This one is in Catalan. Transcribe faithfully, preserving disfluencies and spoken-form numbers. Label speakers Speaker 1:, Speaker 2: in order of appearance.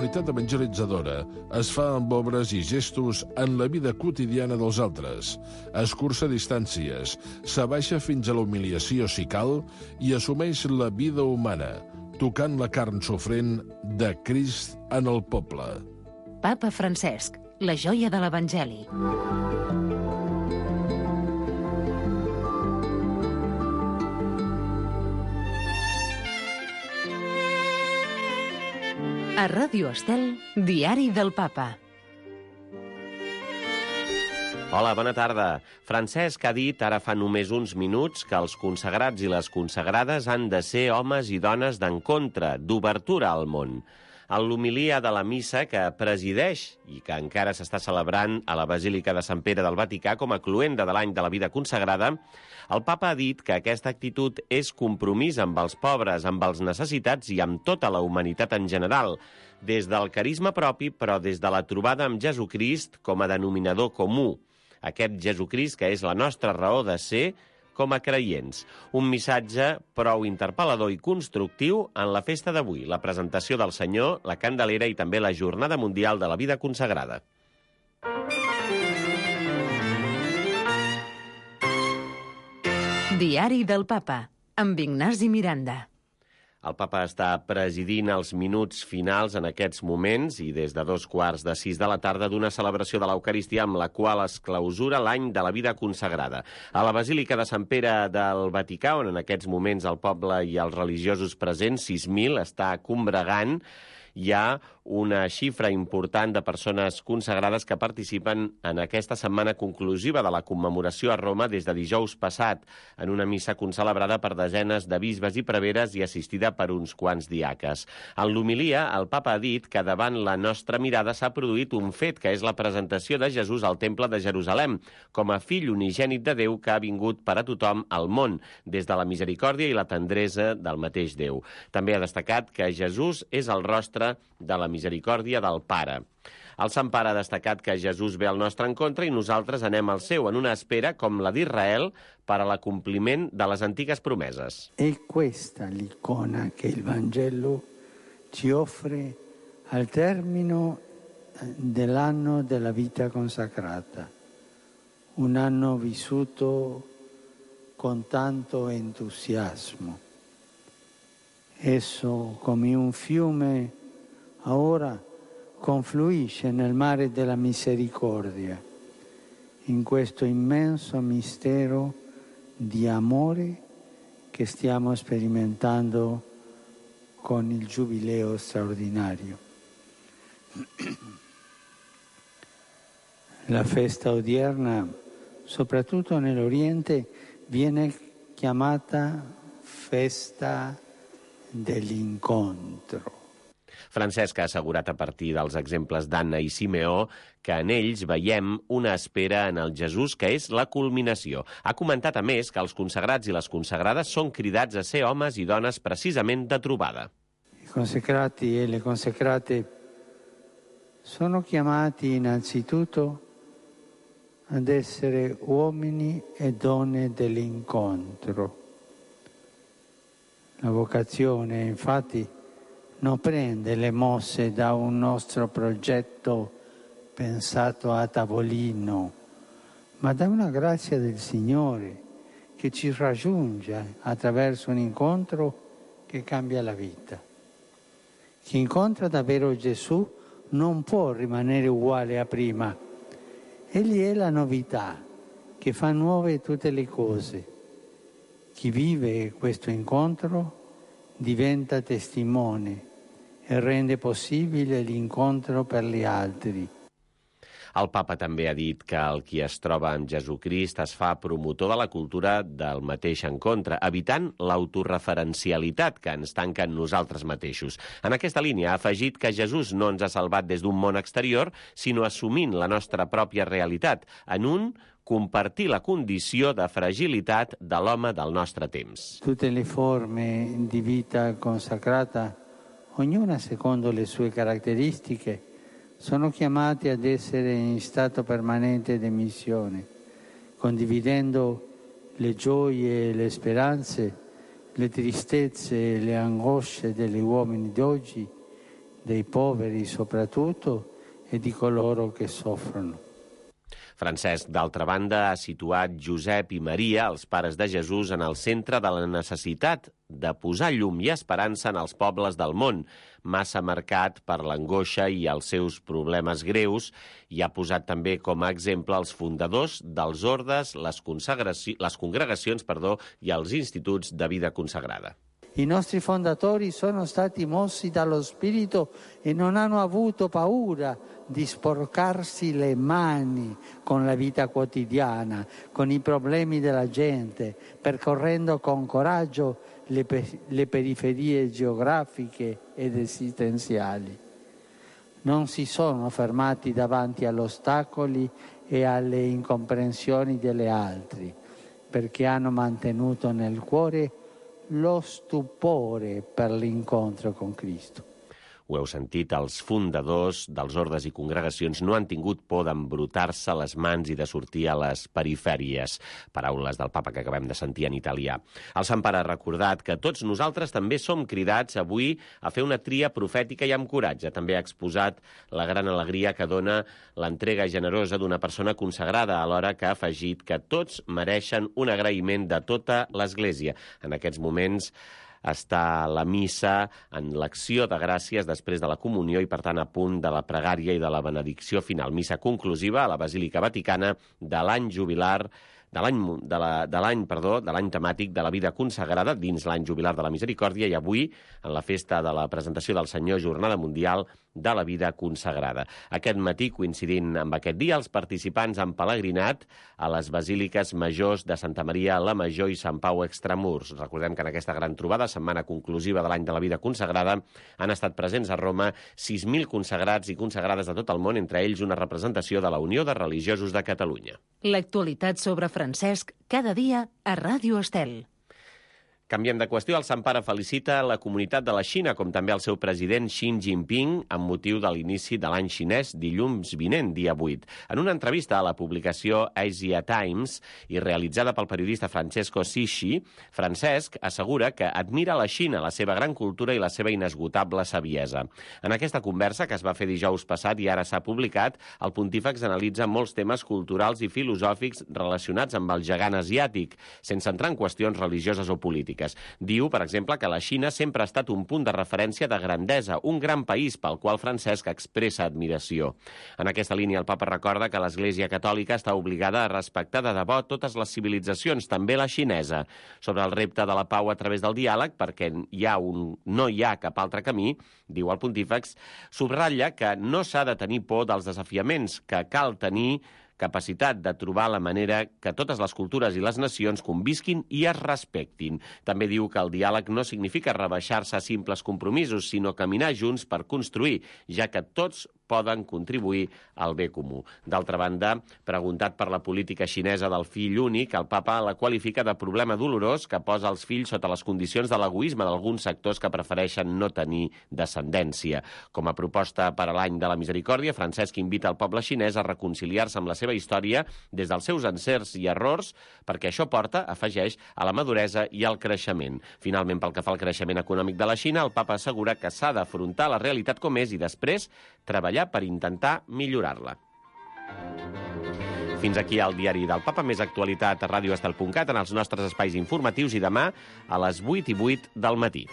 Speaker 1: finalitat evangelitzadora es fa amb obres i gestos en la vida quotidiana dels altres, escurça distàncies, s'abaixa fins a la humiliació si cal i assumeix la vida humana, tocant la carn sofrent de Crist en el poble.
Speaker 2: Papa Francesc, la joia de l'Evangeli. A Ràdio Estel, Diari del Papa.
Speaker 3: Hola, bona tarda. Francesc ha dit ara fa només uns minuts que els consagrats i les consagrades han de ser homes i dones d'encontre, d'obertura al món. En l'homilia de la missa que presideix i que encara s'està celebrant a la Basílica de Sant Pere del Vaticà com a cloenda de l'any de la vida consagrada, el papa ha dit que aquesta actitud és compromís amb els pobres, amb els necessitats i amb tota la humanitat en general, des del carisma propi, però des de la trobada amb Jesucrist com a denominador comú. Aquest Jesucrist que és la nostra raó de ser com a creients. Un missatge prou interpel·lador i constructiu en la festa d'avui, la presentació del Senyor, la Candelera i també la Jornada Mundial de la Vida Consagrada.
Speaker 2: Diari del Papa, amb Ignasi Miranda.
Speaker 3: El papa està presidint els minuts finals en aquests moments i des de dos quarts de sis de la tarda d'una celebració de l'Eucaristia amb la qual es clausura l'any de la vida consagrada. A la Basílica de Sant Pere del Vaticà, on en aquests moments el poble i els religiosos presents, sis mil, està combregant, hi ha una xifra important de persones consagrades que participen en aquesta setmana conclusiva de la commemoració a Roma des de dijous passat, en una missa concelebrada per desenes de bisbes i preveres i assistida per uns quants diaques. En l'homilia, el papa ha dit que davant la nostra mirada s'ha produït un fet, que és la presentació de Jesús al Temple de Jerusalem, com a fill unigènit de Déu que ha vingut per a tothom al món, des de la misericòrdia i la tendresa del mateix Déu. També ha destacat que Jesús és el rostre de la misericòrdia del Pare. El Sant Pare ha destacat que Jesús ve al nostre encontre i nosaltres anem al seu, en una espera com la d'Israel per a l'acompliment de les antigues promeses.
Speaker 4: È questa l'icona che il Vangelo ci offre al termine dell'anno della vita consacrata. Un anno vissuto con tanto entusiasmo. Esso, come un fiume, ora confluisce nel mare della misericordia, in questo immenso mistero di amore che stiamo sperimentando con il Giubileo straordinario. La festa odierna, soprattutto nell'Oriente, viene chiamata festa dell'incontro.
Speaker 3: Francesc ha assegurat a partir dels exemples d'Anna i Simeó que en ells veiem una espera en el Jesús que és la culminació. Ha comentat a més que els consagrats i les consagrades són cridats a ser homes i dones precisament de trobada.
Speaker 4: I consacrati e le consacrate sono chiamati innanzitutto ad essere uomini e donne dell'incontro. La vocazione, infatti, non prende le mosse da un nostro progetto pensato a tavolino, ma da una grazia del Signore che ci raggiunge attraverso un incontro che cambia la vita. Chi incontra davvero Gesù non può rimanere uguale a prima. Egli è la novità che fa nuove tutte le cose. Chi vive questo incontro diventa testimone e rende possibile l'incontro per gli altri.
Speaker 3: El papa també ha dit que el qui es troba amb Jesucrist es fa promotor de la cultura del mateix encontre, evitant l'autoreferencialitat que ens tanca en nosaltres mateixos. En aquesta línia ha afegit que Jesús no ens ha salvat des d'un món exterior, sinó assumint la nostra pròpia realitat, en un compartir la condició de fragilitat de l'home del nostre temps.
Speaker 4: Tutte le forme di vita consacrata, ognuna secondo le sue caratteristiche, sono chiamati ad essere in stato permanente di missione, condividendo le gioie e le speranze, le tristezze e le angosce degli uomini d'oggi, dei poveri soprattutto e di coloro che soffrono.
Speaker 3: Francesc, d'altra banda, ha situat Josep i Maria, els pares de Jesús, en el centre de la necessitat de posar llum i esperança en els pobles del món, massa marcat per l'angoixa i els seus problemes greus, i ha posat també com a exemple els fundadors dels ordes, les, les congregacions perdó, i els instituts de vida consagrada.
Speaker 4: I nostri fondatori sono stati mossi dallo Spirito e non hanno avuto paura di sporcarsi le mani con la vita quotidiana, con i problemi della gente, percorrendo con coraggio le, pe- le periferie geografiche ed esistenziali. Non si sono fermati davanti agli ostacoli e alle incomprensioni delle altri, perché hanno mantenuto nel cuore lo stupore per l'incontro con Cristo.
Speaker 3: Ho heu sentit, els fundadors dels ordes i congregacions no han tingut por d'embrutar-se les mans i de sortir a les perifèries. Paraules del papa que acabem de sentir en italià. El Sant Pare ha recordat que tots nosaltres també som cridats avui a fer una tria profètica i amb coratge. També ha exposat la gran alegria que dona l'entrega generosa d'una persona consagrada, alhora que ha afegit que tots mereixen un agraïment de tota l'Església. En aquests moments està la missa en l'acció de gràcies després de la comunió i, per tant, a punt de la pregària i de la benedicció final. Missa conclusiva a la Basílica Vaticana de l'any jubilar de l'any de la, de l'any, perdó, de l'any temàtic de la vida consagrada dins l'any jubilar de la Misericòrdia i avui en la festa de la presentació del Senyor, Jornada Mundial de la Vida Consagrada. Aquest matí, coincidint amb aquest dia, els participants han pelegrinat a les basíliques majors de Santa Maria la Major i Sant Pau Extramurs. Recordem que en aquesta gran trobada, setmana conclusiva de l'any de la vida consagrada, han estat presents a Roma sis mil consagrats i consagrades de tot el món, entre ells una representació de la Unió de Religiosos de Catalunya.
Speaker 2: L'actualitat sobre Francesc cada dia a Ràdio Estel.
Speaker 3: Canviem de qüestió. El Sant Pare felicita la comunitat de la Xina, com també el seu president Xi Jinping, amb motiu de l'inici de l'any xinès dilluns vinent, dia vuit. En una entrevista a la publicació Asia Times i realitzada pel periodista Francesco Sischi, Francesc assegura que admira la Xina, la seva gran cultura i la seva inesgotable saviesa. En aquesta conversa, que es va fer dijous passat i ara s'ha publicat, el pontífex analitza molts temes culturals i filosòfics relacionats amb el gegant asiàtic, sense entrar en qüestions religioses o polítiques. Diu, per exemple, que la Xina sempre ha estat un punt de referència de grandesa, un gran país pel qual Francesc expressa admiració. En aquesta línia, el papa recorda que l'Església Catòlica està obligada a respectar de debò totes les civilitzacions, també la xinesa. Sobre el repte de la pau a través del diàleg, perquè hi ha un, no hi ha cap altre camí, diu el pontífex, subratlla que no s'ha de tenir por dels desafiaments, que cal tenir capacitat de trobar la manera que totes les cultures i les nacions convisquin i es respectin. També diu que el diàleg no significa rebaixar-se a simples compromisos, sinó caminar junts per construir, ja que tots poden contribuir al bé comú. D'altra banda, preguntat per la política xinesa del fill únic, el papa la qualifica de problema dolorós que posa els fills sota les condicions de l'egoisme d'alguns sectors que prefereixen no tenir descendència. Com a proposta per a l'any de la Misericòrdia, Francesc invita el poble xinès a reconciliar-se amb la seva història des dels seus encerts i errors, perquè això porta, afegeix, a la maduresa i al creixement. Finalment, pel que fa al creixement econòmic de la Xina, el papa assegura que s'ha d'afrontar la realitat com és i després treballar per intentar millorar-la. Fins aquí el diari del Papa, més actualitat a ràdio estel punt cat en els nostres espais informatius i demà a les vuit i vuit del matí.